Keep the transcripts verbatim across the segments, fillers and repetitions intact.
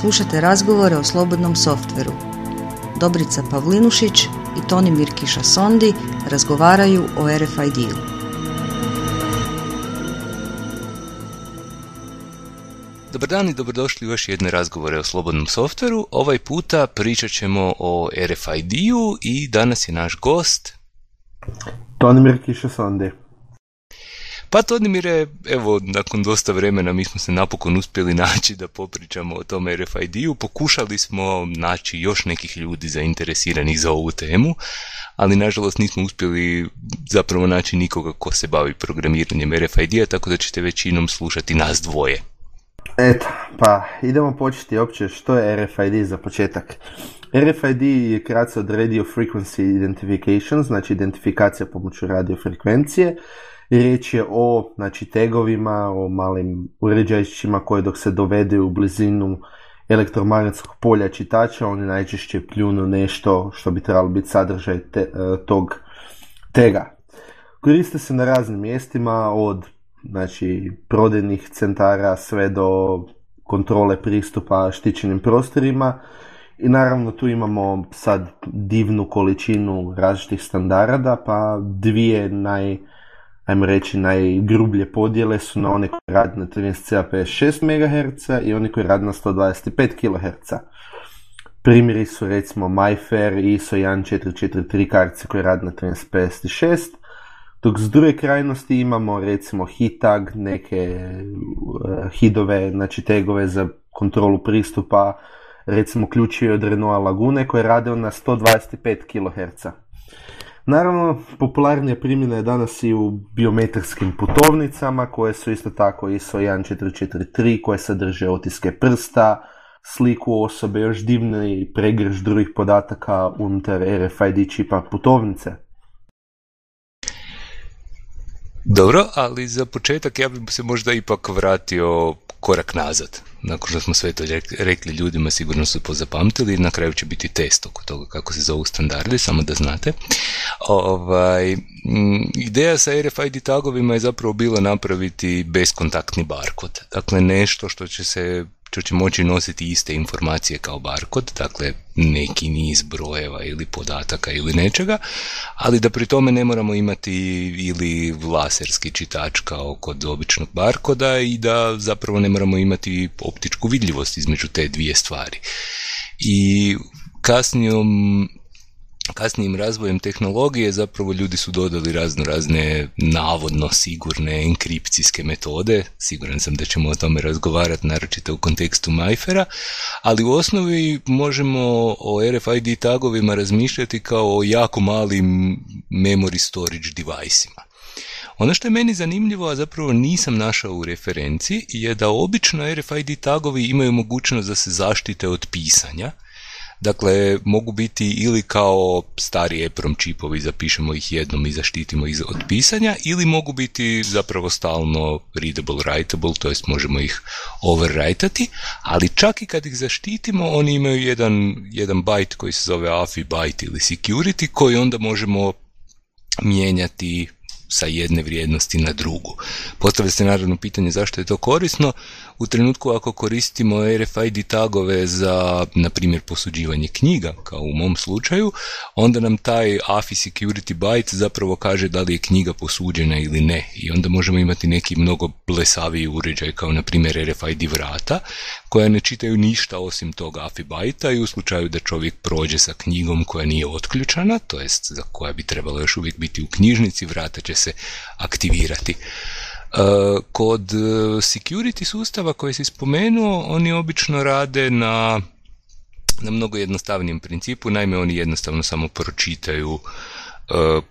Slušate razgovore o slobodnom softveru. Dobrica Pavlinušić i Tonimir Kišasondi razgovaraju o R F I D-u. Dobar dan i dobrodošli u još jedne razgovore o slobodnom softveru. Ovaj puta pričat ćemo o R F I D-u i danas je naš gost Tonimir Kišasondi. Pa Tonimire, evo, nakon dosta vremena mi smo se napokon uspjeli naći da popričamo o tom R F I D-u. Pokušali smo naći još nekih ljudi zainteresiranih za ovu temu, ali nažalost nismo uspjeli zapravo naći nikoga ko se bavi programiranjem R F I D-a, tako da ćete većinom slušati nas dvoje. Eto, pa idemo početi opće što je R F I D za početak. R F I D je kratica od Radio Frequency Identification, znači identifikacija pomoću radiofrekvencije. Riječ je o, znači, tagovima, o malim uređajićima koje dok se dovede u blizinu elektromagnetskog polja čitača, oni najčešće pljunu nešto što bi trebalo biti sadržaj te, tog taga. Koriste se na raznim mjestima, od znači, prodajnih centara sve do kontrole pristupa štićenim prostorima. I naravno tu imamo sad divnu količinu različitih standarda, pa dvije naj, ajmo reći, najgrublje podjele su na one koji rade na trinaest C A pedeset šest megaherca i oni koji rade na sto dvadeset pet kiloherca. Primjeri su recimo MyFair i I S O jedan četiri četiri tri kartice koje rade na trinaest pedeset šest, dok s druge krajnosti imamo recimo HITAG, neke uh, hidove, znači tagove za kontrolu pristupa, recimo ključevi od Renaulta Lagune koje rade na sto dvadeset pet kiloherca. Naravno, popularnija primjena je danas i u biometrijskim putovnicama koje su isto tako I S O jedan četiri četiri tri koje sadrže otiske prsta, sliku osobe, još divni pregrš drugih podataka unutar R F I D čipa putovnice. Dobro, ali za početak ja bih se možda ipak vratio korak nazad. Nakon što smo sve to rekli ljudima, sigurno su pozapamtili, na kraju će biti test oko toga kako se zovu standardi, samo da znate. Ovaj, m, ideja sa R F I D tagovima je zapravo bila napraviti beskontaktni barkod. Dakle, nešto što će se što će moći nositi iste informacije kao barkod, dakle neki niz brojeva ili podataka ili nečega, ali da pri tome ne moramo imati ili laserski čitač kao kod običnog barkoda i da zapravo ne moramo imati optičku vidljivost između te dvije stvari. I kasnijom Kasnijim razvojem tehnologije zapravo ljudi su dodali razno razne navodno sigurne enkripcijske metode, siguran sam da ćemo o tome razgovarati naročito u kontekstu MyFaira, ali u osnovi možemo o R F I D tagovima razmišljati kao o jako malim memory storage device-ima. Ono što je meni zanimljivo, a zapravo nisam našao u referenciji, je da obično R F I D tagovi imaju mogućnost da se zaštite od pisanja. Dakle, mogu biti ili kao stari EPROM čipovi, zapišemo ih jednom i zaštitimo ih od pisanja, ili mogu biti zapravo stalno readable, writable, to jest možemo ih overwrite-ati, ali čak i kad ih zaštitimo, oni imaju jedan, jedan byte koji se zove A F I byte ili security, koji onda možemo mijenjati sa jedne vrijednosti na drugu. Postavlja se naravno pitanje zašto je to korisno. U trenutku ako koristimo R F I D tagove za, na primjer, posuđivanje knjiga, kao u mom slučaju, onda nam taj A F I security byte zapravo kaže da li je knjiga posuđena ili ne. I onda možemo imati neki mnogo blesaviji uređaj, kao na primjer R F I D vrata, koja ne čitaju ništa osim tog A F I byta i u slučaju da čovjek prođe sa knjigom koja nije otključana, to jest za koja bi trebalo još uvijek biti u knjižnici, vrata će se aktivirati. Kod security sustava koje si spomenuo, oni obično rade na, na mnogo jednostavnijem principu, naime oni jednostavno samo pročitaju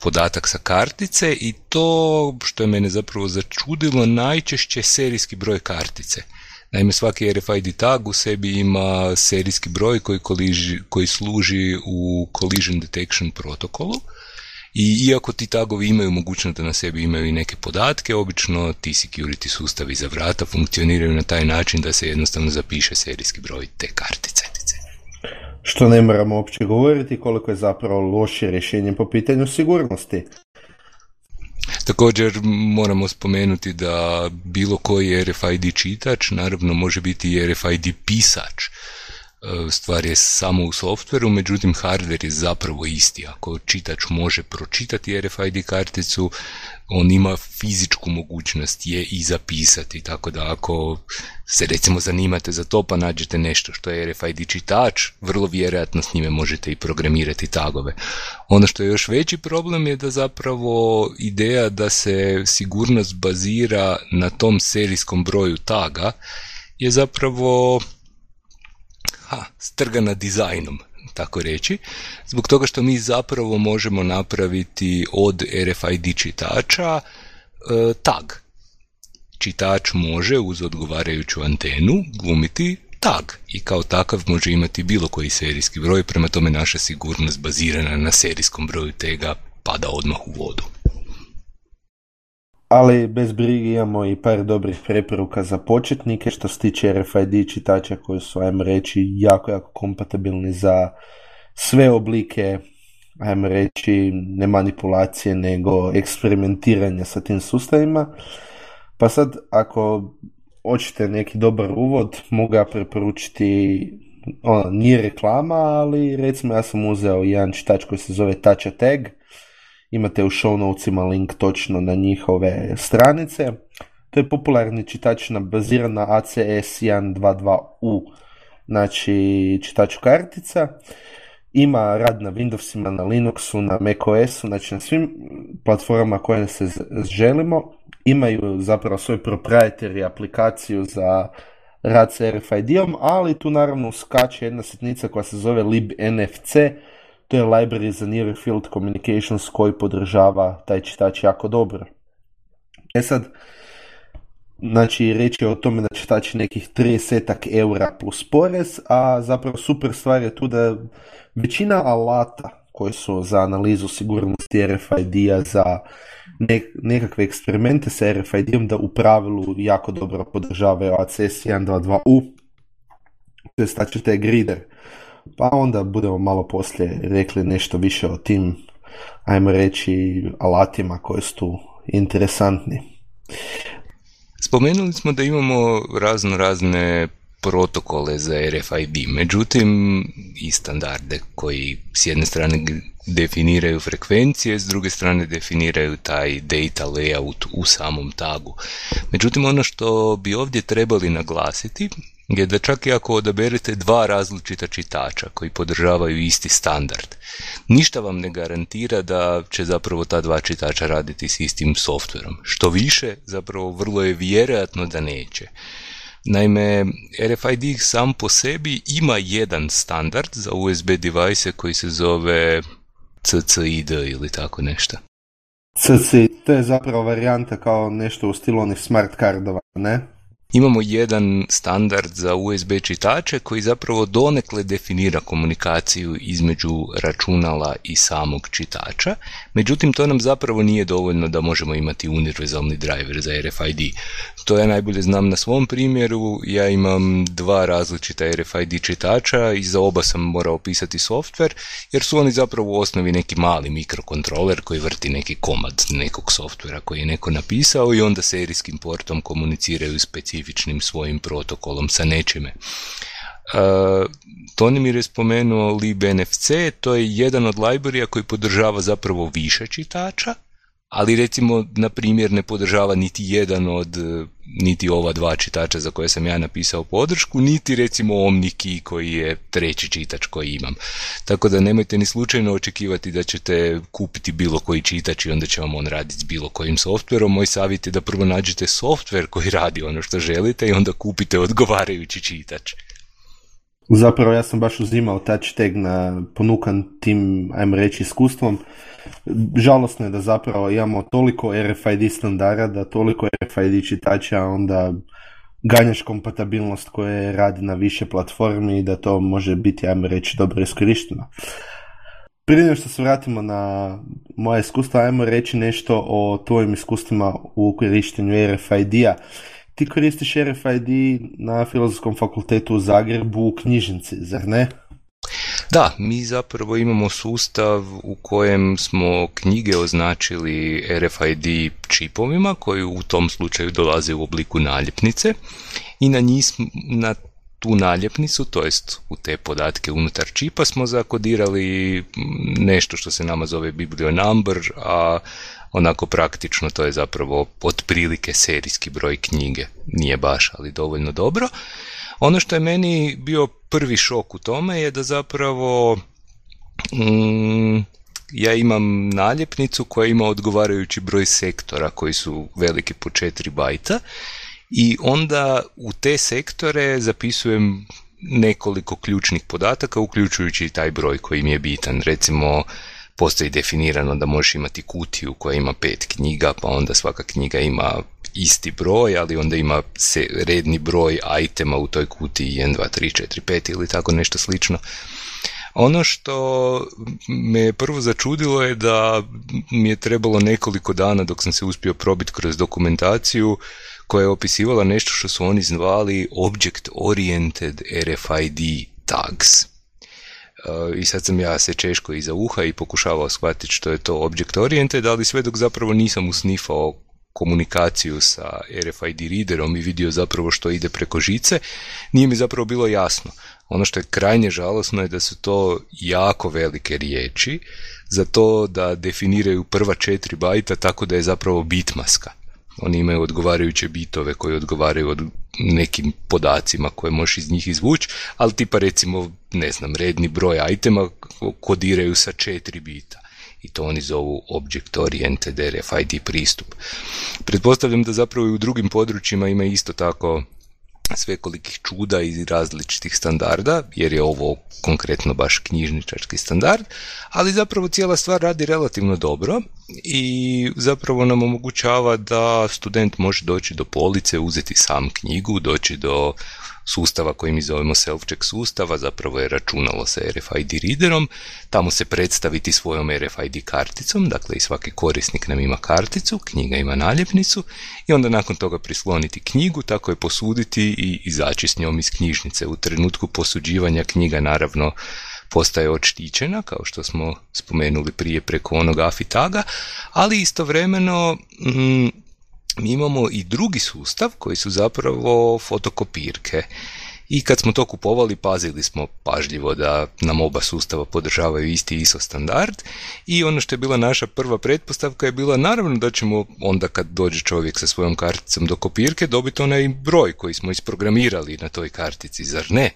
podatak sa kartice i to što je mene zapravo začudilo, najčešće serijski broj kartice. Naime, svaki R F I D tag u sebi ima serijski broj koji, koliži, koji služi u collision detection protokolu. I iako ti tagovi imaju mogućnost da na sebi imaju i neke podatke, obično ti security sustavi za vrata funkcioniraju na taj način da se jednostavno zapiše serijski broj te kartice. Što ne moramo uopće govoriti koliko je zapravo loše rješenje po pitanju sigurnosti. Također moramo spomenuti da bilo koji R F I D čitač naravno može biti i R F I D pisač. stvar je samo u softveru, međutim hardware je zapravo isti. Ako čitač može pročitati R F I D karticu, on ima fizičku mogućnost je i zapisati, tako da ako se recimo zanimate za to pa nađete nešto što je R F I D čitač, vrlo vjerojatno s njime možete i programirati tagove. Ono što je još veći problem je da zapravo ideja da se sigurnost bazira na tom serijskom broju taga je zapravo ha, strgana dizajnom, tako reći, zbog toga što mi zapravo možemo napraviti od R F I D čitača e, tag. Čitač može uz odgovarajuću antenu glumiti tag i kao takav može imati bilo koji serijski broj, prema tome naša sigurnost bazirana na serijskom broju tega pada odmah u vodu. Ali bez brige imamo i par dobrih preporuka za početnike što se tiče R F I D čitača koji su, ajmo reći, jako, jako kompatibilni za sve oblike, ajmo reći, ne manipulacije, nego eksperimentiranja sa tim sustavima. Pa sad, ako hoćete neki dobar uvod, mogu ja preporučiti, ono, nije reklama, ali recimo ja sam uzeo jedan čitač koji se zove TouchATag. Imate u show notesima link točno na njihove stranice. To je popularni čitač baziran na A C S jedan dva dva U, znači čitač kartica. Ima rad na Windowsima, na Linuxu, na macOSu, znači na svim platformama koje se želimo. Imaju zapravo svoj proprietary aplikaciju za rad sa R F I D-om, ali tu naravno uskače jedna sitnica koja se zove libnfc. To je library za Near Field Communications koji podržava taj čitač jako dobro. E sad, znači riječ je o tome da čitač nekih trideset eura plus porez, a zapravo super stvar je tu da većina alata koji su za analizu sigurnosti R F I D-a, za nekakve eksperimente sa R F I D-om, da u pravilu jako dobro podržavaju A C S jedan dva dva U, to je TouchATag reader. Pa onda budemo malo poslije rekli nešto više o tim, ajmo reći, alatima koji su tu interesantni. Spomenuli smo da imamo razno razne protokole za R F I D, međutim i standarde koji s jedne strane definiraju frekvencije, s druge strane definiraju taj data layout u samom tagu. Međutim, ono što bi ovdje trebali naglasiti je da čak i ako odaberete dva različita čitača koji podržavaju isti standard, ništa vam ne garantira da će zapravo ta dva čitača raditi s istim softverom. Što više, zapravo vrlo je vjerojatno da neće. Naime, R F I D sam po sebi ima jedan standard za U S B device koji se zove C C I D ili tako nešto. C C I D, to je zapravo varijanta kao nešto u stilu onih smart cardova, ne? Imamo jedan standard za U S B čitače koji zapravo donekle definira komunikaciju između računala i samog čitača, međutim to nam zapravo nije dovoljno da možemo imati univerzalni driver za R F I D. To ja najbolje znam na svom primjeru, ja imam dva različita R F I D čitača i za oba sam morao pisati softver, jer su oni zapravo u osnovi neki mali mikrokontroler koji vrti neki komad nekog softvera koji je neko napisao i onda serijskim portom komuniciraju specifično svojim protokolom sa nečime. Uh, Tonimir je spomenuo libnfc, to je jedan od libraryja koji podržava zapravo više čitača, ali recimo na primjer ne podržava niti jedan od niti ova dva čitača za koje sam ja napisao podršku, niti recimo OmniKey koji je treći čitač koji imam. Tako da nemojte ni slučajno očekivati da ćete kupiti bilo koji čitač i onda će vam on raditi s bilo kojim softverom. Moj savjet je da prvo nađete softver koji radi ono što želite i onda kupite odgovarajući čitač. Zapravo ja sam baš uzimao TouchATag na ponukan tim, ajmo reći, iskustvom. Žalosno je da zapravo imamo toliko R F I D standarda, da toliko R F I D čitača, onda ganjaš kompatibilnost koja radi na više platformi i da to može biti, ajmo reći, dobro iskorišteno. Prije nego što se vratimo na moje iskustva, ajmo reći nešto o tvojim iskustvima u korištenju R F I D-a. Ti koristiš R F I D na Filozofskom fakultetu u Zagrebu u knjižnici, zar ne? Da, mi zapravo imamo sustav u kojem smo knjige označili R F I D čipovima koji u tom slučaju dolaze u obliku naljepnice i na njih, na tu naljepnicu, to jest u te podatke unutar čipa smo zakodirali nešto što se nama zove biblionumber, a onako praktično to je zapravo otprilike serijski broj knjige. Nije baš, ali dovoljno dobro. Ono što je meni bio prvi šok u tome je da zapravo mm, ja imam naljepnicu koja ima odgovarajući broj sektora koji su veliki po četiri bajta i onda u te sektore zapisujem nekoliko ključnih podataka, uključujući i taj broj koji mi je bitan. Recimo, postoji definirano da možeš imati kutiju koja ima pet knjiga, pa onda svaka knjiga ima isti broj, ali onda ima se redni broj itema u toj kutiji jedan, dva, tri, četiri, pet ili tako nešto slično. Ono što me prvo začudilo je da mi je trebalo nekoliko dana dok sam se uspio probiti kroz dokumentaciju koja je opisivala nešto što su oni zvali Object Oriented R F I D Tags. I sad sam ja se češko iza uha i pokušavao shvatiti što je to Object Oriented, ali sve dok zapravo nisam usnifao komunikaciju sa R F I D readerom i vidio zapravo što ide preko žice, nije mi zapravo bilo jasno. Ono što je krajnje žalosno je da su to jako velike riječi za to da definiraju prva četiri bajta tako da je zapravo bitmaska. Oni imaju odgovarajuće bitove koji odgovaraju od nekim podacima koje možeš iz njih izvući, ali tipa recimo, ne znam, redni broj itema kodiraju sa četiri bita. I to oni zovu Object Oriented R F I D pristup. Pretpostavljam da zapravo i u drugim područjima ima isto tako svekolikih čuda i različitih standarda, jer je ovo konkretno baš knjižničarski standard, ali zapravo cijela stvar radi relativno dobro i zapravo nam omogućava da student može doći do police, uzeti sam knjigu, doći do sustava koji mi zovemo self-check sustava, zapravo je računalo sa R F I D readerom, tamo se predstaviti svojom R F I D karticom, dakle i svaki korisnik nam ima karticu, knjiga ima naljepnicu i onda nakon toga prisloniti knjigu, tako je posuditi i izaći s njom iz knjižnice. U trenutku posuđivanja knjiga naravno postaje odštićena, kao što smo spomenuli prije preko onog A F I taga, ali istovremeno mm, mi imamo i drugi sustav koji su zapravo fotokopirke. I kad smo to kupovali, pazili smo pažljivo da nam oba sustava podržavaju isti I S O standard i ono što je bila naša prva pretpostavka je bila naravno da ćemo onda kad dođe čovjek sa svojom karticom do kopirke dobiti onaj broj koji smo isprogramirali na toj kartici, zar ne?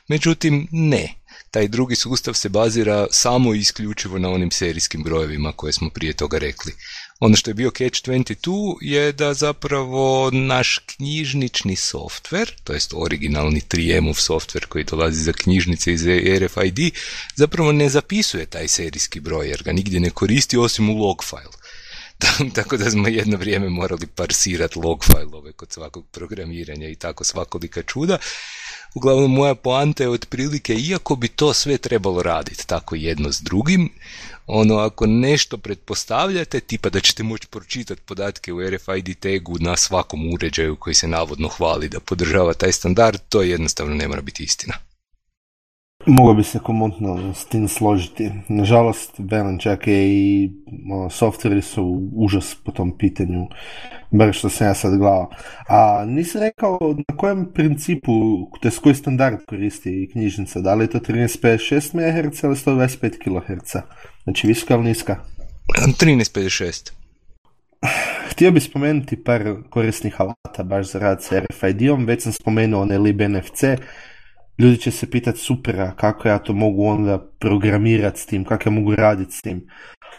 Međutim, ne. Taj drugi sustav se bazira samo i isključivo na onim serijskim brojevima koje smo prije toga rekli. Ono što je bio catch dvadeset dva je da zapravo naš knjižnični softver, to jest originalni tri M-ov softver koji dolazi za knjižnice iz R F I D, zapravo ne zapisuje taj serijski broj jer ga nigdje ne koristi osim u log file. Tako da smo jedno vrijeme morali parsirati log file-ove kod svakog programiranja i tako svakolika čuda. Uglavnom, moja poanta je otprilike, iako bi to sve trebalo raditi tako jedno s drugim, ono, ako nešto pretpostavljate, tipa da ćete moći pročitati podatke u R F I D tagu na svakom uređaju koji se navodno hvali da podržava taj standard, to jednostavno ne mora biti istina. Mogao bi se komotno s tim složiti. Nažalost, velim, čak i o, softveri su užas po tom pitanju, bar što sam ja sad gledao. A nisi rekao na kojem principu, to je koji standard koristi knjižnica, da li je to trinaest pedeset šest megaherca ili sto dvadeset pet kiloherca? Znači visoka ili niska? trinaest pedeset šest. Htio bih spomenuti par korisnih alata baš za rad sa R F I D-om, već sam spomenuo onaj libnfc. Ljudi će se pitati supera kako ja to mogu onda programirati s tim, kako ja mogu raditi s tim.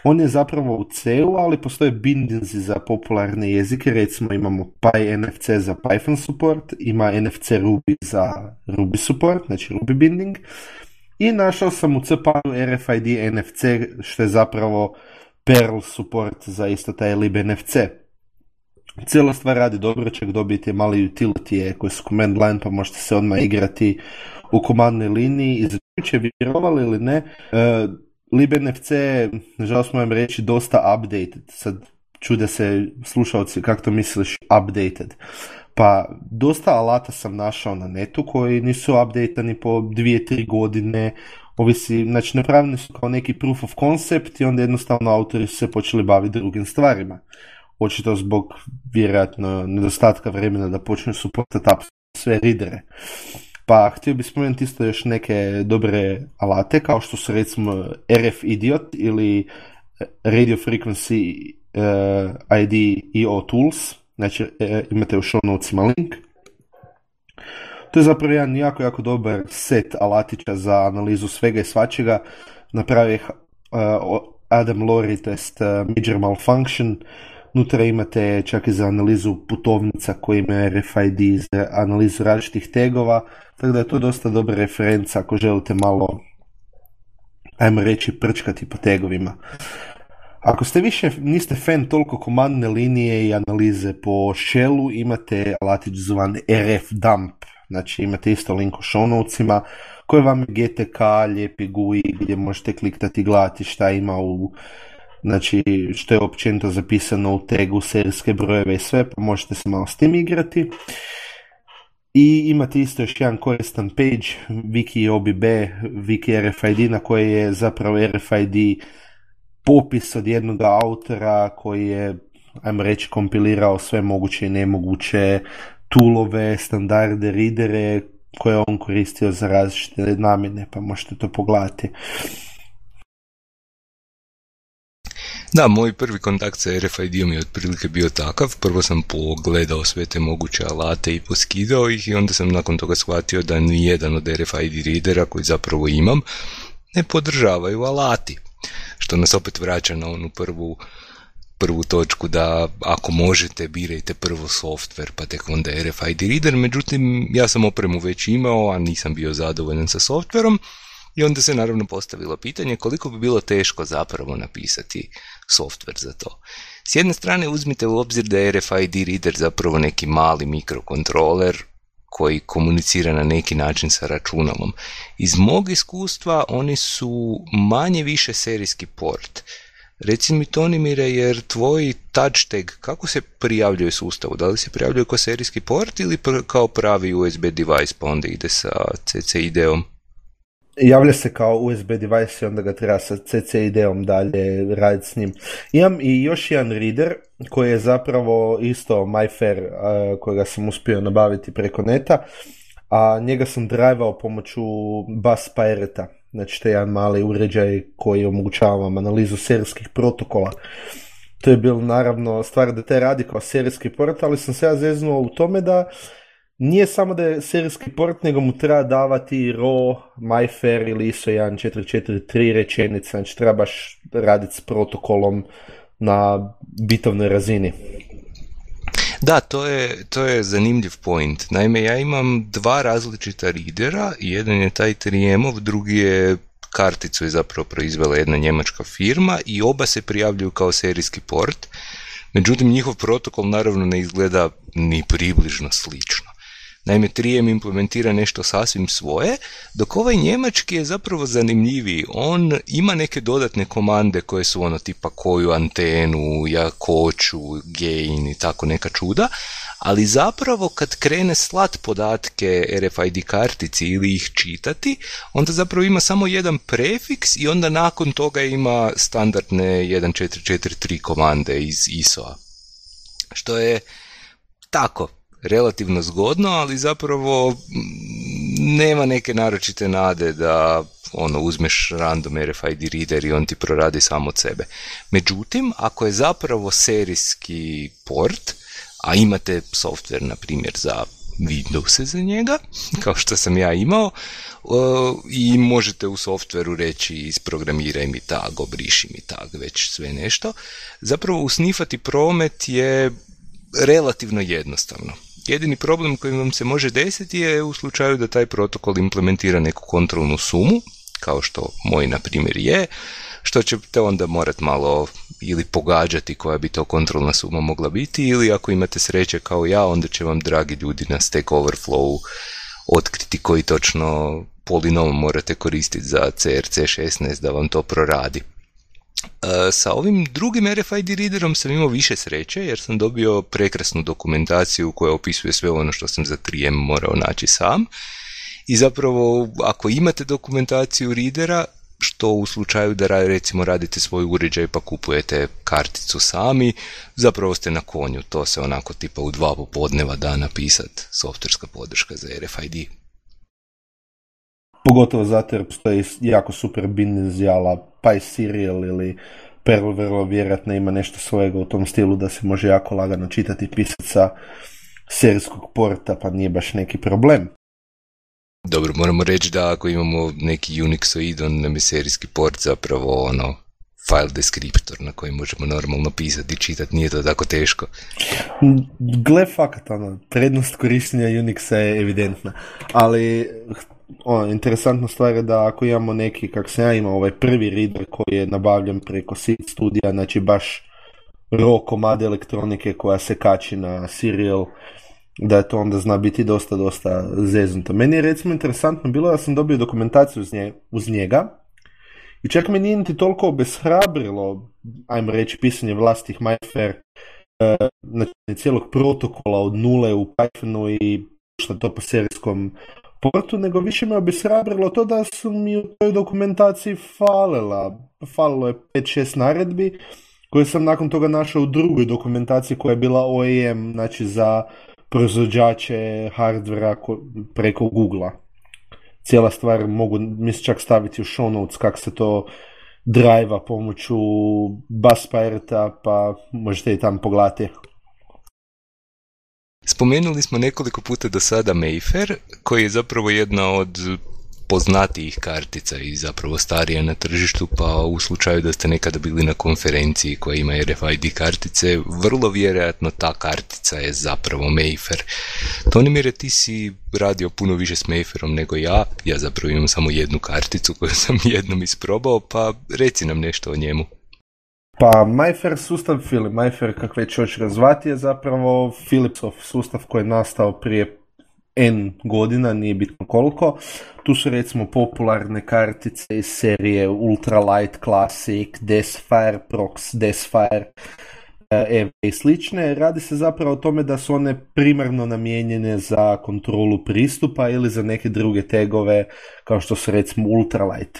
On je zapravo u C-u, ali postoje bindinzi za popularne jezike, recimo imamo PyNFC za Python support, ima N F C Ruby za Ruby support, znači Ruby binding, i našao sam u C P U R F I D N F C, što je zapravo Perl support za isto taj libnfc. Cijela stvar radi dobro, čak dobijete mali utility koje su command line, pa možete se odmah igrati u komandnoj liniji. I za će vjerovali ili ne, uh, libnfc, nažalost moram reći, dosta updated. Sad čude se slušalci kako to misliš updated. Pa dosta alata sam našao na netu koji nisu updatani po dvije, tri godine. Ovisi, znači napravljeni su kao neki proof of concept i onda jednostavno autori su se počeli baviti drugim stvarima. Očito zbog vjerojatno nedostatka vremena da počnu supportati sve readere. Pa htio bih spomenuti isto još neke dobre alate, kao što su recimo R F Idiot ili Radio Frequency uh, I D E O Tools, znači uh, imate u show notesima link. To je zapravo jedan jako, jako dobar set alatića za analizu svega i svačega. Napravi uh, Adam Lowry, to jest uh, Major Malfunction. Unutra imate čak i za analizu putovnica koji imaju R F I D, za analizu različitih tagova, tako da je to dosta dobra referenca ako želite malo, ajmo reći, prčkati po tagovima. Ako ste više, niste fan toliko komandne linije i analize po shellu, imate alatić zvan R F dump, znači imate isto link u show notesima, koji vam je G T K, lijepi G U I, gdje možete kliktati i gledati šta ima u, znači što je općenito zapisano u tagu, serijske brojeve i sve, pa možete se malo s tim igrati. I imate isto još jedan koristan page, Wiki O B B, Wiki R F I D, na koji je zapravo R F I D popis od jednog autora koji je, ajmo reći, kompilirao sve moguće i nemoguće toolove, standarde, readere koje on koristio za različite namjene, pa možete to pogledati. Da, moj prvi kontakt sa R F I D-om je otprilike bio takav. Prvo sam pogledao sve te moguće alate i poskidao ih i onda sam nakon toga shvatio da nijedan od R F I D readera koji zapravo imam ne podržavaju alati. Što nas opet vraća na onu prvu, prvu točku da ako možete birajte prvo software pa tek onda R F I D reader. Međutim, ja sam opremu već imao, a nisam bio zadovoljan sa softverom. I onda se naravno postavilo pitanje koliko bi bilo teško zapravo napisati software za to. S jedne strane uzmite u obzir da je R F I D reader zapravo neki mali mikrokontroler koji komunicira na neki način sa računalom. Iz mog iskustva oni su manje više serijski port. Reci mi, Tonimire, jer tvoj touch tag kako se prijavljuje sustavu? Da li se prijavljuje kao serijski port ili kao pravi U S B device pa onda ide sa C C I D-om? Javlja se kao U S B device i onda ga treba sa C C I D-om dalje raditi s njim. Imam i još jedan reader koji je zapravo isto MyFair, uh, kojega sam uspio nabaviti preko neta, a njega sam drivao pomoću Bus Pirate-a. Znači to je jedan mali uređaj koji omogućava vam analizu serijskih protokola. To je bilo naravno stvar da te radi kao serijski port, ali sam se ja zeznuo u tome da nije samo da je serijski port, nego mu treba davati raw, MyFair ili I S O jedan četiri četiri tri rečenice, znači treba baš raditi s protokolom na bitovnoj razini. Da, to je, to je zanimljiv point. Naime, ja imam dva različita readera, jedan je taj tri em-ov, drugi je karticu je zapravo proizvela jedna njemačka firma i oba se prijavljuju kao serijski port, međutim njihov protokol naravno ne izgleda ni približno slično. Naime, tri em implementira nešto sasvim svoje, dok ovaj njemački je zapravo zanimljiviji. On ima neke dodatne komande koje su ono tipa koju antenu, jakoću, gain i tako neka čuda, ali zapravo kad krene slat podatke R F I D kartici ili ih čitati, onda zapravo ima samo jedan prefiks i onda nakon toga ima standardne jedan četiri četiri tri komande iz I S O-a. Što je tako relativno zgodno, ali zapravo nema neke naročite nade da ono uzmeš random R F I D reader i on ti proradi samo od sebe. Međutim, ako je zapravo serijski port, a imate software, na primjer, za Windows za njega, kao što sam ja imao, i možete u softveru reći isprogramiraj mi tag, obriši mi tag, već sve nešto, zapravo usnifati promet je relativno jednostavno. Jedini problem koji vam se može desiti je u slučaju da taj protokol implementira neku kontrolnu sumu, kao što moj na primjer je, što ćete onda morati malo ili pogađati koja bi to kontrolna suma mogla biti, ili ako imate sreće kao ja, onda će vam dragi ljudi na Stack Overflow otkriti koji točno polinom morate koristiti za C R C šesnaest da vam to proradi. Sa ovim drugim R F I D readerom sam imao više sreće jer sam dobio prekrasnu dokumentaciju koja opisuje sve ono što sam za tri em morao naći sam. I zapravo ako imate dokumentaciju readera, što u slučaju da recimo radite svoj uređaj pa kupujete karticu sami, zapravo ste na konju, to se onako tipa u dva popodneva da napisati softverska podrška za R F I D. Pogotovo zato jer postoji jako super binizijala, pa i Serial ili Perl vrlo vjerojatno ima nešto svojega u tom stilu da se može jako lagano čitati i pisati sa serijskog porta, pa nije baš neki problem. Dobro, moramo reći da ako imamo neki Unixoid, on nam je serijski port zapravo ono file deskriptor na koji možemo normalno pisati i čitati, nije to tako teško. Gle, fakat, ono, prednost korištenja Unixa je evidentna, ali ono, interesantna stvar je da ako imamo neki, kak sam ja imao, ovaj prvi reader koji je nabavljen preko Seed Studija, znači baš raw komad elektronike koja se kači na Serial, da je to onda zna biti dosta, dosta zeznuto. Meni je recimo interesantno bilo da sam dobio dokumentaciju uz, nje, uz njega i čak me nije niti toliko obeshrabrilo, ajmo reći, pisanje vlastitih MyFair, uh, znači cijelog protokola od nule u Pythonu i što to po serijskom portu, nego više me obeshrabrilo to da su mi u toj dokumentaciji falila. Falilo je pet šest naredbi koje sam nakon toga našao u drugoj dokumentaciji koja je bila O E M, znači za proizvođače hardvera preko Googlea. Cijela stvar mogu, mislim, čak staviti u show notes kako se to drive-a pomoću Bus Pirate-a, pa možete i tamo pogledati. Spomenuli smo nekoliko puta do sada Mayfair, koji je zapravo jedna od poznatijih kartica i zapravo starija na tržištu, pa u slučaju da ste nekada bili na konferenciji koja ima R F I D kartice, vrlo vjerojatno ta kartica je zapravo Mayfair. Tonimire, ti si radio puno više s Mayfairom nego ja, ja zapravo imam samo jednu karticu koju sam jednom isprobao, pa reci nam nešto o njemu. Pa MyFair sustav ili MyFair, kak već hoćeš razvati, je zapravo Philipsov sustav koji je nastao prije N godina, nije bitno koliko. Tu su recimo popularne kartice iz serije Ultralight Classic, Desfire, Prox, Desfire, E V i slične. Radi se zapravo o tome da su one primarno namijenjene za kontrolu pristupa ili za neke druge tagove kao što su recimo Ultralight.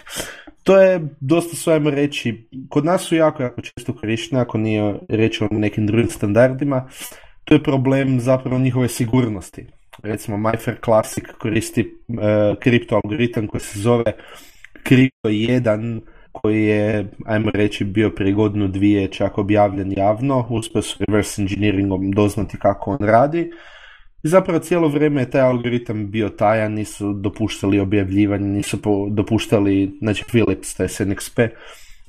To je dosta, su, ajmo reći, kod nas su jako, jako često korištene, ako nije reč o nekim drugim standardima. To je problem zapravo njihove sigurnosti. Recimo MyFair Classic koristi uh, kripto algoritam koji se zove Crypto jedan, koji je, ajmo reći, bio prije godinu dvije čak objavljen javno, uspio su reverse engineeringom doznati kako on radi. I zapravo cijelo vrijeme je taj algoritam bio tajan, nisu dopuštali objavljivanje, nisu dopuštali, znači Philips, to je N X P,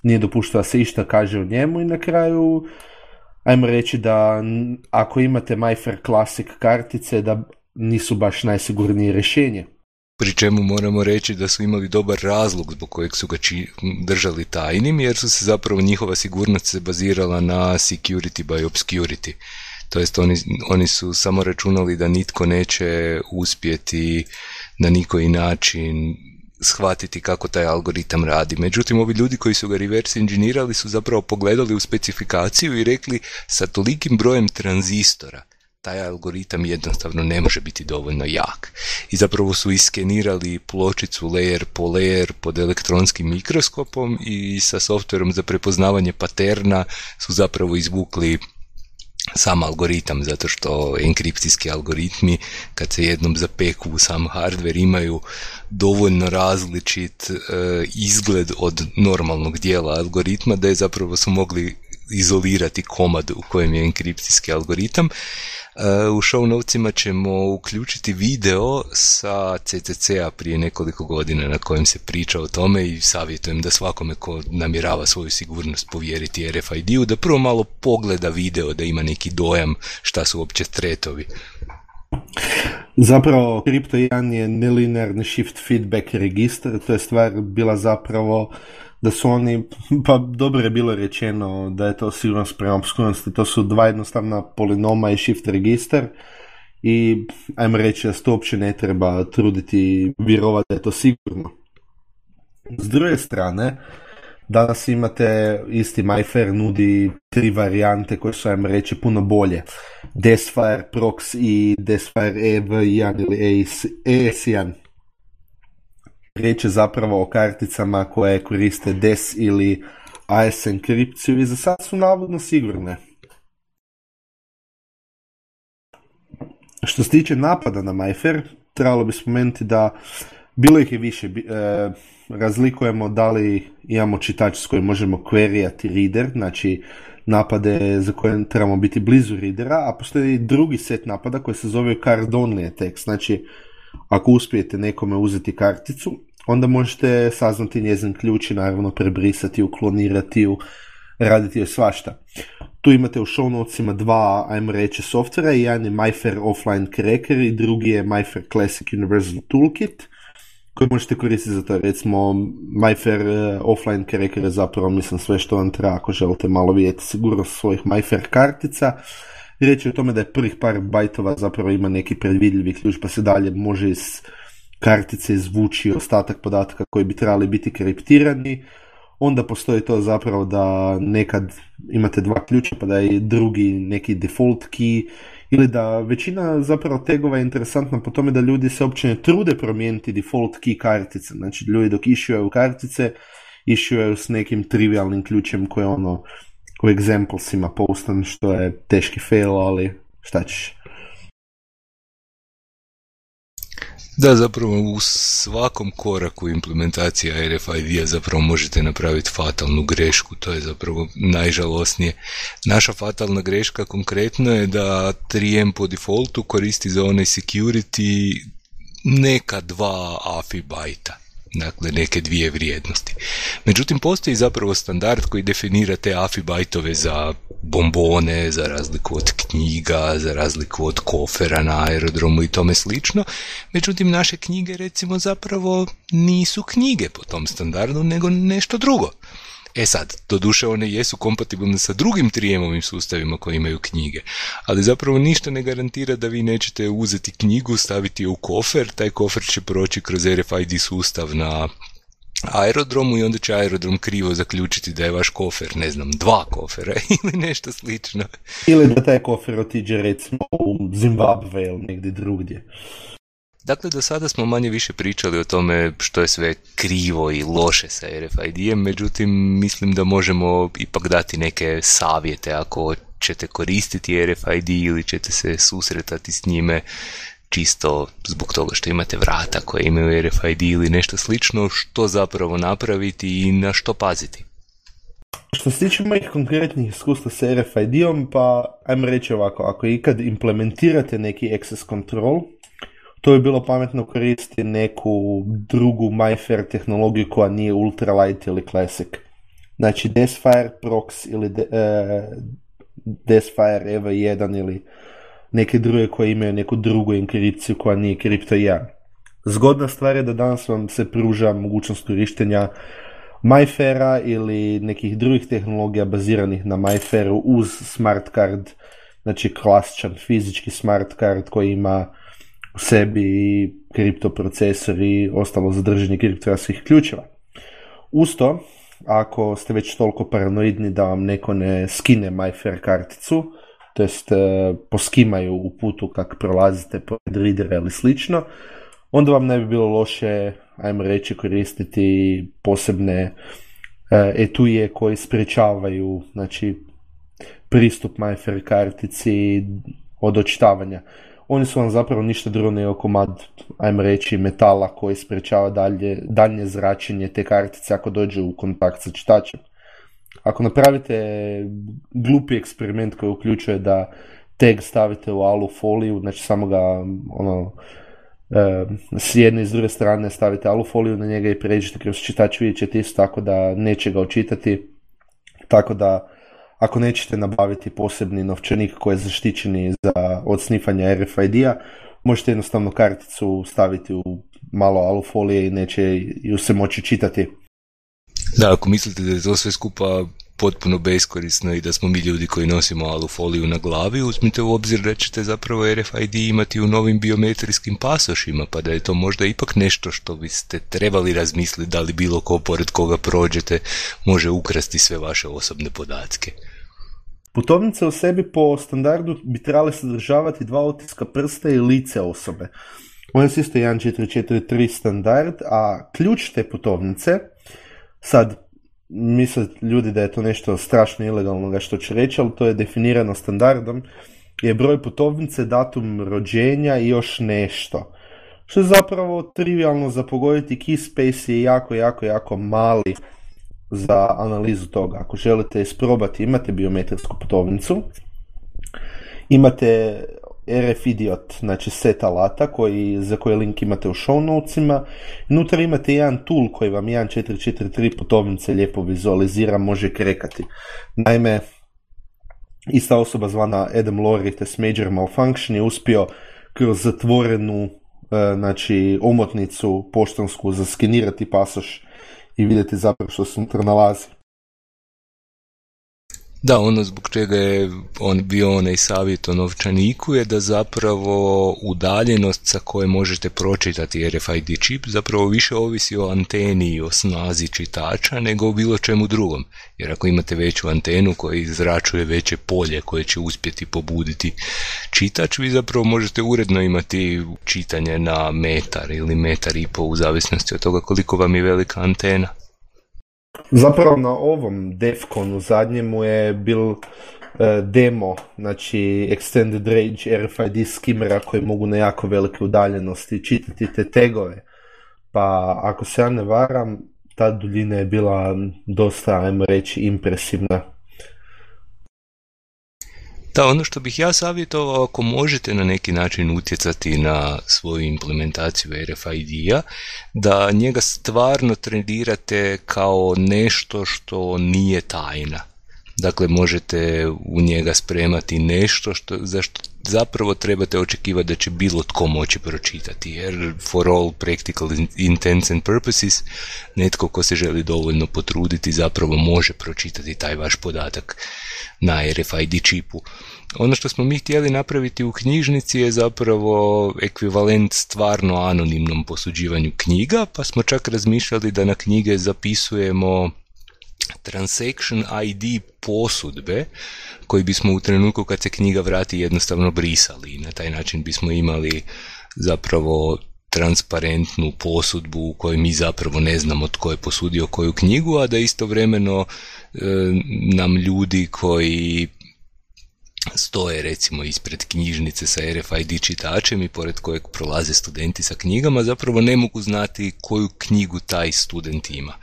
nije dopuštao da se išta kaže o njemu i na kraju, ajmo reći da ako imate MyFair Classic kartice, da nisu baš najsigurnije rješenje. Pri čemu moramo reći da su imali dobar razlog zbog kojeg su ga či, držali tajnim, jer su se zapravo njihova sigurnost se bazirala na security by obscurity. To jest oni, oni su samo računali da nitko neće uspjeti na nikoji način shvatiti kako taj algoritam radi. Međutim, ovi ljudi koji su ga reverse engineerali su zapravo pogledali u specifikaciju i rekli sa tolikim brojem tranzistora taj algoritam jednostavno ne može biti dovoljno jak. I zapravo su iskenirali pločicu layer po layer pod elektronskim mikroskopom i sa softverom za prepoznavanje paterna su zapravo izvukli sam algoritam, zato što enkripcijski algoritmi kad se jednom zapeku u sam hardware imaju dovoljno različit e, izgled od normalnog dijela algoritma da je zapravo su mogli izolirati komad u kojem je enkripcijski algoritam. U show notesima ćemo uključiti video sa C C C-a prije nekoliko godina na kojem se priča o tome i savjetujem da svakome ko namjerava svoju sigurnost povjeriti R F I D-u da prvo malo pogleda video da ima neki dojam šta su uopće threatovi. Zapravo Crypto jedan je nelinearni shift feedback register, to je stvar bila zapravo da su oni, pa dobro je bilo rečeno da je to sigurnost prema obskurnosti, to su dva jednostavna polinoma i shift register i ajmo reći da se to uopće ne treba truditi vjerovati da je to sigurno. S druge strane, danas imate isti MyFair nudi tri varijante koje su, ajmo reći, puno bolje. Desfire, Prox i Desfire E V jedan ili E S jedan. Riječ je zapravo o karticama koje koriste Des ili A S enkripciju i za sad su navodno sigurne. Što se tiče napada na MyFair, trebalo bi spomenuti da Bilo ih je više. Bi, e, razlikujemo da li imamo čitač s kojim možemo queryati reader, znači napade za koje trebamo biti blizu readera, a postoji drugi set napada koji se zove card only attack. Znači, ako uspijete nekome uzeti karticu, onda možete saznati njezin ključ i naravno prebrisati ju, klonirati ju, raditi joj svašta. Tu imate u show notesima dva, ajmo reći, softvera, jedan je MyFair Offline Cracker i drugi je MyFair Classic Universal Toolkit, koji možete koristiti za to. Recimo, MyFair Offline Cracker je zapravo, mislim, sve što vam treba ako želite malo vidjeti sigurnost svojih MyFair kartica. Riječ je o tome da je prvih par bajtova zapravo ima neki predvidljivi ključ, pa se dalje može iz kartice izvući ostatak podataka koji bi trebali biti kriptirani. Onda postoji to zapravo da nekad imate dva ključa pa da je drugi neki default key, ili da većina zapravo tegova je interesantna po tome da ljudi se uopće ne trude promijeniti default key kartice. Znači ljudi dok issueju kartice, issueju s nekim trivialnim ključem koje ono u examplesima postan, što je teški fail, ali šta ćeš. Da, zapravo u svakom koraku implementacija R F I D-a zapravo možete napraviti fatalnu grešku, to je zapravo najžalosnije. Naša fatalna greška konkretno je da tri M po defaultu koristi za onaj security neka dva A F I bajta. Dakle, neke dvije vrijednosti. Međutim, postoji zapravo standard koji definira te A F I bajtove za bombone, za razliku od knjiga, za razliku od kofera na aerodromu i tome slično. Međutim, naše knjige, recimo, zapravo nisu knjige po tom standardu, nego nešto drugo. E sad, doduše one jesu kompatibilne sa drugim tri M-ovim sustavima koji imaju knjige, ali zapravo ništa ne garantira da vi nećete uzeti knjigu, staviti je u kofer, taj kofer će proći kroz R F I D sustav na aerodromu i onda će aerodrom krivo zaključiti da je vaš kofer, ne znam, dva kofera ili nešto slično. Ili da taj kofer otiđe recimo u Zimbabve ili negdje drugdje. Dakle, do sada smo manje više pričali o tome što je sve krivo i loše sa R F I D-em, međutim, mislim da možemo ipak dati neke savjete ako ćete koristiti R F I D ili ćete se susretati s njime čisto zbog toga što imate vrata koje imaju R F I D ili nešto slično, što zapravo napraviti i na što paziti. Što se tiče mojih konkretnih iskustva sa R F I D-om, pa ajmo reći ovako, ako ikad implementirate neki access control, to je bilo pametno koristiti neku drugu MyFair tehnologiju koja nije ultralight ili classic. Znači Desfire, Prox ili de, uh, Desfire E V jedan ili neke druge koje imaju neku drugu enkripciju koja nije Crypto jedan. Zgodna stvar je da danas vam se pruža mogućnost korištenja MyFaira ili nekih drugih tehnologija baziranih na MyFairu uz smart card, znači klasičan fizički smart card koji ima u sebi i kriptoprocesor i ostalo zadržanje kriptografskih ključeva. Uz to, ako ste već toliko paranoidni da vam neko ne skine MyFair karticu, to jest poskimaju u putu kak prolazite pored readera ili slično, onda vam ne bi bilo loše, ajmo reći, koristiti posebne etuje koji sprečavaju, znači, pristup MyFair kartici od očitavanja. Oni su vam zapravo ništa drugo nego komad, ajmo reći, metala koji sprečava dalje, daljnje zračenje te kartice ako dođe u kontakt sa čitačem. Ako napravite glupi eksperiment koji uključuje da tag stavite u alu foliju, znači samo ga ono, e, s jedne i s druge strane stavite alu foliju na njega i pređete kroz čitač, vidjet ćete isto tako da neće ga očitati, tako da ako nećete nabaviti posebni novčanik koji je zaštićeni za, od snifanja R F I D-a, možete jednostavno karticu staviti u malo alufolije i neće ju se moći čitati. Da, ako mislite da je to sve skupa potpuno beskorisno i da smo mi ljudi koji nosimo alufoliju na glavi, uzmite u obzir da ćete zapravo R F I D imati u novim biometrijskim pasošima, pa da je to možda ipak nešto što biste trebali razmisliti da li bilo ko pored koga prođete može ukrasti sve vaše osobne podatke. Putovnice u sebi po standardu bi trebale sadržavati dva otiska prsta i lice osobe. Ovo je isto jedan četiri četiri tri standard, a ključ te putovnice, sad misle ljudi da je to nešto strašno ilegalnoga što ću reći, ali to je definirano standardom, je broj putovnice, datum rođenja i još nešto. što je zapravo trivialno za pogoditi. Key space je jako, jako, jako mali za analizu toga. Ako želite isprobati, imate biometrijsku putovnicu, imate R F Idiot, znači set alata koji, za koji link imate u show notesima. Unutra imate jedan tool koji vam jedan četiri četiri tri putovnice lijepo vizualizira, može krekati. Naime, ista osoba zvana Adam Lorite s Major Malfunction je uspio kroz zatvorenu znači omotnicu poštansku zaskenirati pasoš i vidjeti zapravo što se unutra nalazi. Da, ono zbog čega je on bio onaj savjet o novčaniku je da zapravo udaljenost sa koje možete pročitati R F I D čip zapravo više ovisi o anteni i o snazi čitača nego o bilo čemu drugom. Jer ako imate veću antenu koja izračuje veće polje koje će uspjeti pobuditi čitač, vi zapravo možete uredno imati čitanje na metar ili metar i pol u zavisnosti od toga koliko vam je velika antena. Zapravo na ovom DEFCONu zadnjemu je bil uh, demo, znači Extended Range R F I D skimera koji mogu na jako velike udaljenosti čitati te tegove. Pa ako se ja ne varam, ta duljina je bila dosta, ajmo reći, impresivna. Da, ono što bih ja savjetovao, ako možete na neki način utjecati na svoju implementaciju R F I D-a, da njega stvarno tretirate kao nešto što nije tajna. Dakle, možete u njega spremati nešto što, za što zapravo trebate očekivati da će bilo tko moći pročitati, jer for all practical intents and purposes, netko ko se želi dovoljno potruditi zapravo može pročitati taj vaš podatak na R F I D čipu. Ono što smo mi htjeli napraviti u knjižnici je zapravo ekvivalent stvarno anonimnom posuđivanju knjiga, pa smo čak razmišljali da na knjige zapisujemo transaction I D posudbe koji bismo u trenutku kad se knjiga vrati jednostavno brisali i na taj način bismo imali zapravo transparentnu posudbu u kojoj mi zapravo ne znamo tko je posudio koju knjigu, a da istovremeno e, nam ljudi koji stoje recimo ispred knjižnice sa R F I D čitačem i pored kojeg prolaze studenti sa knjigama zapravo ne mogu znati koju knjigu taj student ima.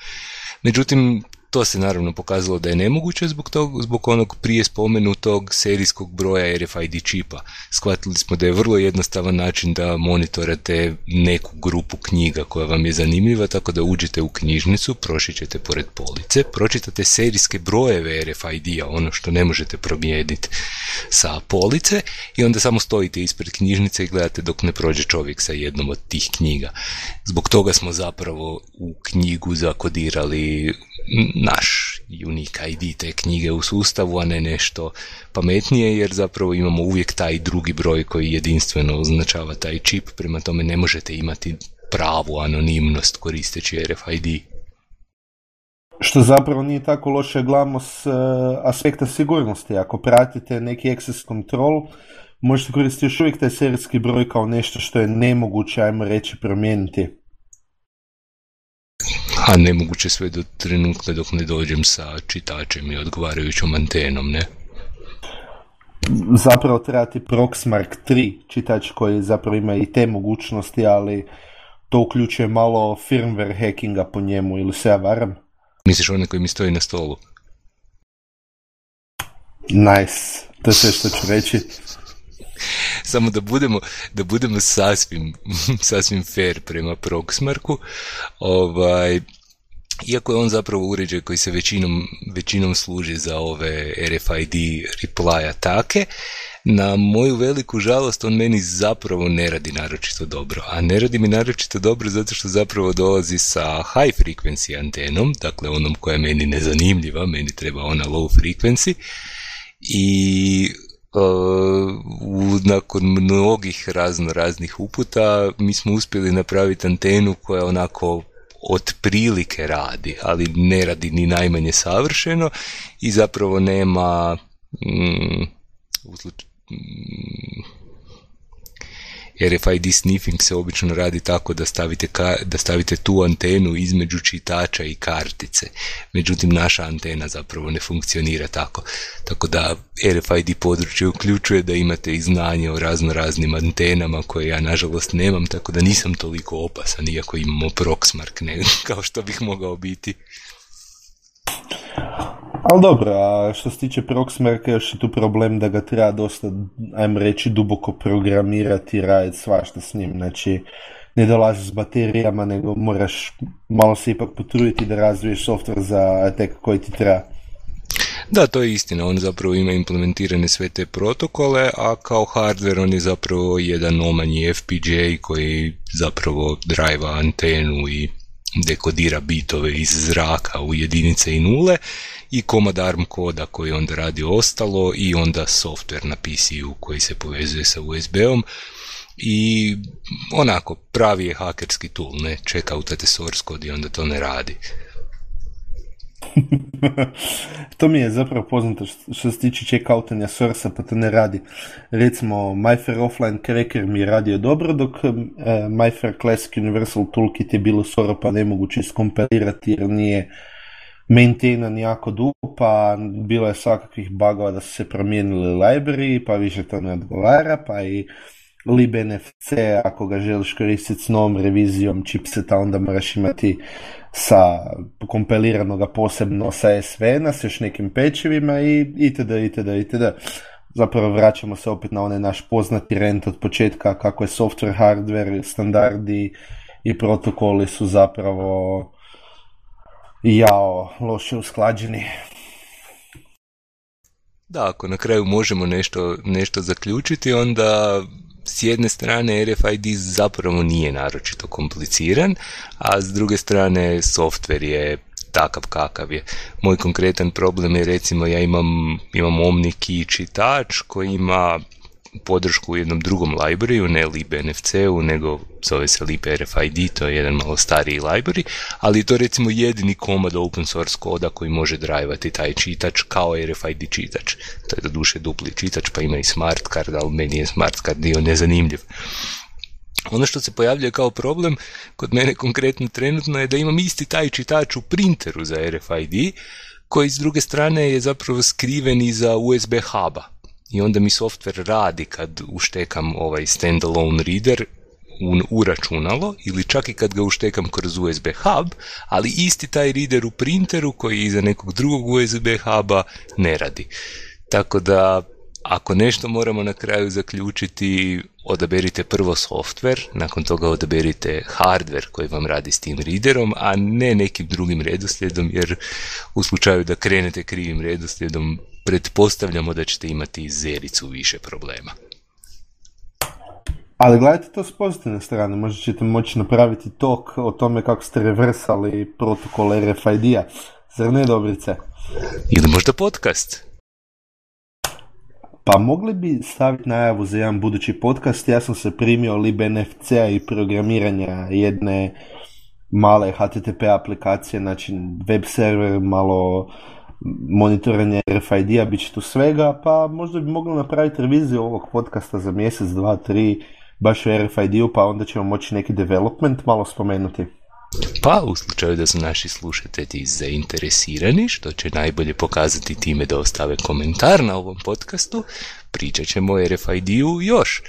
Međutim, to se naravno pokazalo da je nemoguće zbog, tog, zbog onog prije spomenutog serijskog broja R F I D čipa. Shvatili smo da je vrlo jednostavan način da monitorate neku grupu knjiga koja vam je zanimljiva, tako da uđete u knjižnicu, prošićete pored police, pročitate serijske brojeve R F I D-a, ono što ne možete promijeniti sa police, i onda samo stojite ispred knjižnice i gledate dok ne prođe čovjek sa jednom od tih knjiga. Zbog toga smo zapravo u knjigu zakodirali naš unique I D te knjige u sustavu, a ne nešto pametnije, jer zapravo imamo uvijek taj drugi broj koji jedinstveno označava taj čip, prema tome ne možete imati pravu anonimnost koristeći R F I D. Što zapravo nije tako loše, gledamo s uh, aspekta sigurnosti. Ako pratite neki access control, možete koristiti još uvijek taj serijski broj kao nešto što je nemoguće, ajmo reći, promijeniti. A nemoguće sve do trenutka dok ne dođem sa čitačem i odgovarajućom antenom, ne? Zapravo treba ti Proxmark tri čitač koji zapravo ima i te mogućnosti, ali to uključuje malo firmware hackinga po njemu, ili se ja varam? Misliš onaj koji mi stoji na stolu? Nice, to je sve što ću reći. Samo da budemo, da budemo sasvim, sasvim fair prema Proxmarku, ovaj, iako je on zapravo uređaj koji se većinom, većinom služi za ove R F I D reply atake, na moju veliku žalost on meni zapravo ne radi naročito dobro. A ne radi mi naročito dobro zato što zapravo dolazi sa high frequency antenom, dakle onom koja je meni nezanimljiva, meni treba ona low frequency, i Uh, nakon mnogih razno raznih uputa mi smo uspjeli napraviti antenu koja onako otprilike radi, ali ne radi ni najmanje savršeno i zapravo nema mm, usluč... mm, R F I D sniffing se obično radi tako da stavite, ka, da stavite tu antenu između čitača i kartice. Međutim, naša antena zapravo ne funkcionira tako. Tako da R F I D područje uključuje da imate i znanje o razno raznim antenama koje ja nažalost nemam, tako da nisam toliko opasan iako imamo Proxmark ne, kao što bih mogao biti. Ali dobro, a što se tiče Proxmarka još je tu problem da ga treba dosta, ajmo reći, duboko programirati i raditi svašta s njim. Znači, ne dolazi s baterijama, nego moraš malo se ipak potruditi da razviješ software za tek koji ti treba. Da, to je istina, on zapravo ima implementirane sve te protokole, a kao hardware on je zapravo jedan omanji F P G A koji zapravo drajva antenu i dekodira bitove iz zraka u jedinice i nule i komad ARM koda koji onda radi ostalo i onda software na P C U koji se povezuje sa U S B-om i onako pravi je hakerski tool, ne checkoutate source code i onda to ne radi. To mi je zapravo poznato što se tiče checkoutanja source-a, pa to ne radi. Recimo, MyFair Offline Cracker mi je radio dobro, dok uh, MyFair Classic Universal Toolkit je bilo skoro pa nemoguće iskompilirati jer nije maintainan jako dugo, pa bilo je svakakvih bugova da su se promijenili library, pa više to ne odgovara, pa i libnfc, ako ga želiš koristiti s novom revizijom chipseta, onda moraš imati sa kompiliranoga posebno sa S V N-a, s još nekim pečevima i itd. itd. itd. Zapravo vraćamo se opet na onaj naš poznati rent od početka kako je software, hardware, standardi i protokoli su zapravo jao loše usklađeni. Da, ako na kraju možemo nešto, nešto zaključiti, onda s jedne strane R F I D zapravo nije naročito kompliciran, a s druge strane software je takav kakav je. Moj konkretan problem je recimo ja imam, imam OmniKey čitač koji ima podršku u jednom drugom libraryu, ne libnfc-u, nego zove se librfid, to je jedan malo stariji library, ali je to recimo jedini komad open source koda koji može drajvati taj čitač kao R F I D čitač. To je doduše dupli čitač, pa ima i smart card, ali meni je smart card dio nezanimljiv. Ono što se pojavljuje kao problem kod mene konkretno trenutno je da imam isti taj čitač u printeru za R F I D, koji s druge strane je zapravo skriven iza U S B huba. I onda mi software radi kad uštekam ovaj standalone reader u, u računalo ili čak i kad ga uštekam kroz U S B hub, ali isti taj reader u printeru koji je iza nekog drugog U S B huba ne radi. Tako da ako nešto moramo na kraju zaključiti, odaberite prvo software, nakon toga odaberite hardware koji vam radi s tim readerom, a ne nekim drugim redoslijedom, jer u slučaju da krenete krivim redoslijedom, pretpostavljamo da ćete imati zericu više problema. Ali gledajte to s pozitivne strane, možda ćete moći napraviti talk o tome kako ste reversali protokol R F I D-a, zar ne, Dobrice? Ili možda podcast? Pa mogli bi staviti najavu za jedan budući podcast. Ja sam se primio libnfc-a i programiranja jedne male H T T P aplikacije, znači web server, malo monitoranje R F I D-a, bit će tu svega, pa možda bi mogli napraviti reviziju ovog podcasta za mjesec, dva, tri, baš u R F I D-u, pa onda ćemo moći neki development malo spomenuti. Pa u slučaju da su naši slušatelji zainteresirani, što će najbolje pokazati time da ostave komentar na ovom podcastu, pričat ćemo o R F I D-u još.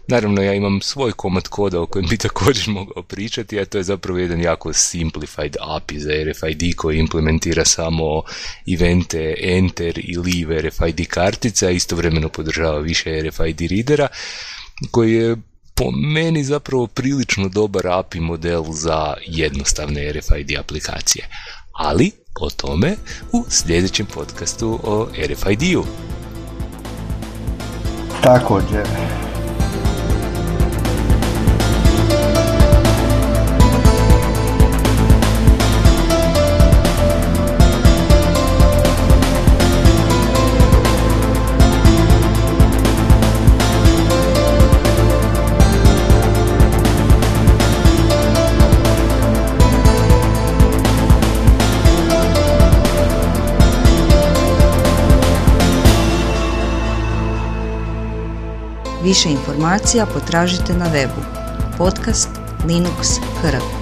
Naravno, ja imam svoj komad koda o kojem bi također mogao pričati, a to je zapravo jedan jako simplified A P I za R F I D koji implementira samo evente enter i leave R F I D kartica, istovremeno podržava više R F I D readera, koji je po meni zapravo prilično dobar A P I model za jednostavne R F I D aplikacije. Ali o tome u sljedećem podcastu o R F I D-u. Također. Više informacija potražite na webu podcast Linux kr.